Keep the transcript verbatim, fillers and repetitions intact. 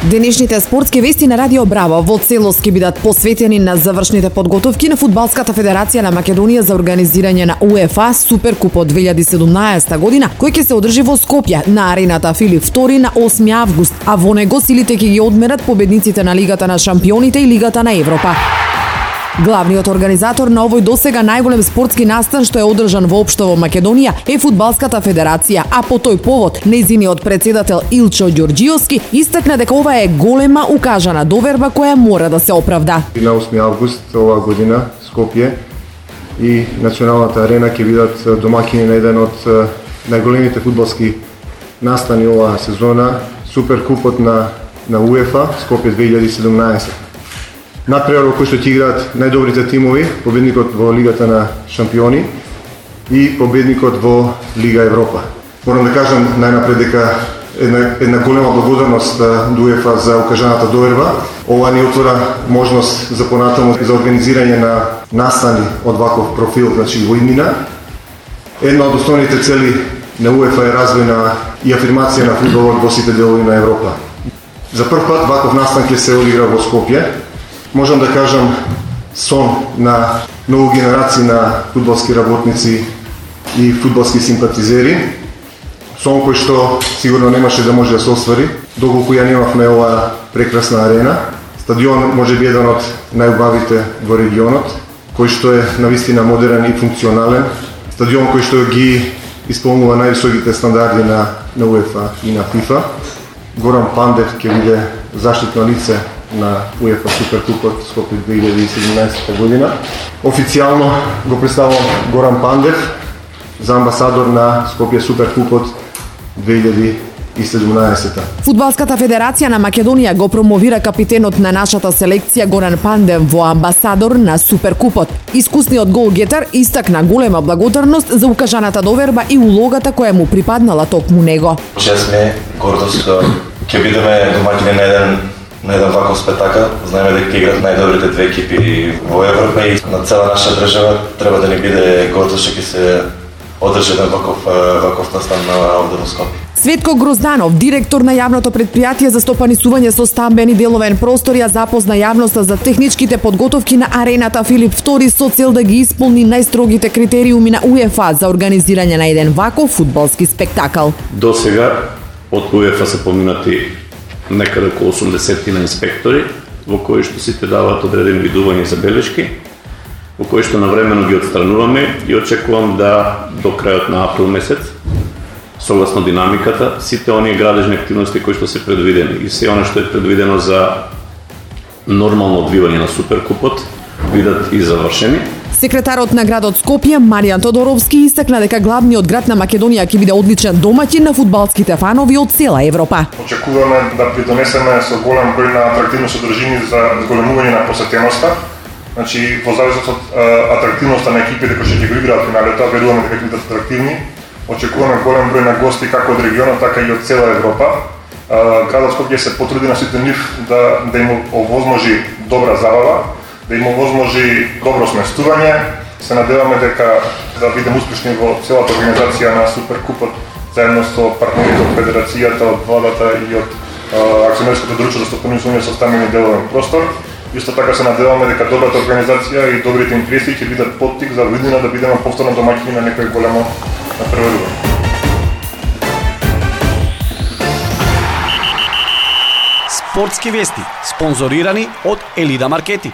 Денешните спортски вести на Радио Браво во целост ќе бидат посветени на завршните подготовки на Фудбалската федерација на Македонија за организирање на УЕФА Суперкупот две илјади и седумнаесета година, кој ќе се одржи во Скопје на арената Филип втори на осми август, а во него силите ќе ги одмерат победниците на Лигата на шампионите и Лигата на Европа. Главниот организатор на овој досега најголем спортски настан што е одржан воопшто во Македонија е Фудбалската федерација, а по тој повод нејзиниот председател Илчо Ѓорѓиовски истакна дека ова е голема укажана доверба која мора да се оправда. На осми август оваа година Скопје и Националната арена ќе бидат домаќини на еден од најголемите фудбалски настани оваа сезона, Суперкупот на на УЕФА Скопје две илјади и седумнаесета. Надпревар кој што ќе играат најдобрите тимови, победникот во Лигата на шампиони и победникот во Лига Европа. Морам да кажам најнапред дека една, една голема благодарност до УЕФА за укажаната доверба. Ова ни отвора можност за понатаму за организирање на настани од ваков профил, значи во иднина. Една од основните цели на УЕФА е развој на и афирмација на фудбалот во сите делови на Европа. За прв пат ваков настан ќе се одигра во Скопје. Можам да кажам сон на многу генерации на фудбалски работници и фудбалски симпатизери. Сон кој што сигурно немаше да може да се оствари, доколку ја немавме оваа прекрасна арена. Стадион може би еден од најубавите во регионот, кој што е навистина модерен и функционален. Стадион кој што ги исполнува највисоките стандарди на, на УЕФА и на ФИФА. Горан Пандев ќе биде заштитно лице на УЕФА Суперкупот Скопје две илјади и седумнаесета година. Официјално го представувам Горан Пандев за амбасадор на Скопје Суперкупот две илјади и седумнаесета. Фудбалската федерација на Македонија го промовира капитенот на нашата селекција Горан Пандев во амбасадор на Суперкупот. Искусниот голгетар истакна голема благодарност за укажаната доверба и улогата која му припаднала токму него. Чест ми, гордост, ќе бидеме домаќини на еден на еден ваков спектакл. Знаеме дека играат најдобрите две екипи во Европа и на цела наша држава треба да ни биде гордост што ќе се одржи еден ваков ваков настан овде во Скопје. Светко Грозданов, директор на јавното претпријатие за стопанисување со стамбени деловен простор, ја запозна јавноста за техничките подготовки на арената Филип втори со цел да ги исполни најстрогите критериуми на УЕФА за организирање на еден ваков фудбалски спектакл. До сега од УЕФА се поминати некаде околу осумдесет на инспектори, во кои што сите даваат одредени видувања и забелешки, во кои што навремено ги отстрануваме и очекувам да до крајот на април месец, согласно динамиката, сите оние градежни активности кои што се предвидени и се она што е предвидено за нормално одвивање на Суперкупот бидат и завршени. Секретарот на градот Скопје, Маријан Тодоровски, истакна дека главниот град на Македонија ќе биде одличен домаќин на фудбалските фанови од цела Европа. Очекуваме да придонесеме со голем број на атрактивни содржини за зголемување на посетеноста. Значи, во зависност од атрактивноста на екипите кои ќе го играат финалето, веруваме дека ќе бидат атрактивни. Очекуваме голем број на гости како од регионот, така и од цела Европа. Градот Скопје се потруди на сите нив да да им овозможи добра забава, да им овозможи добро сместување. Се надеваме дека да бидеме успешни во целата организација на Суперкупот заедно со партнерите од Федерацијата, од владата и од акционерското друштво за стопанисување со стамбени деловен простор. Исто така се надеваме дека добрата организација и добрите интереси ќе бидат поттик за виднина да бидеме повторно домаќини на некој големо надпреварување. Спортски вести, спонзорирани од Елида Маркети.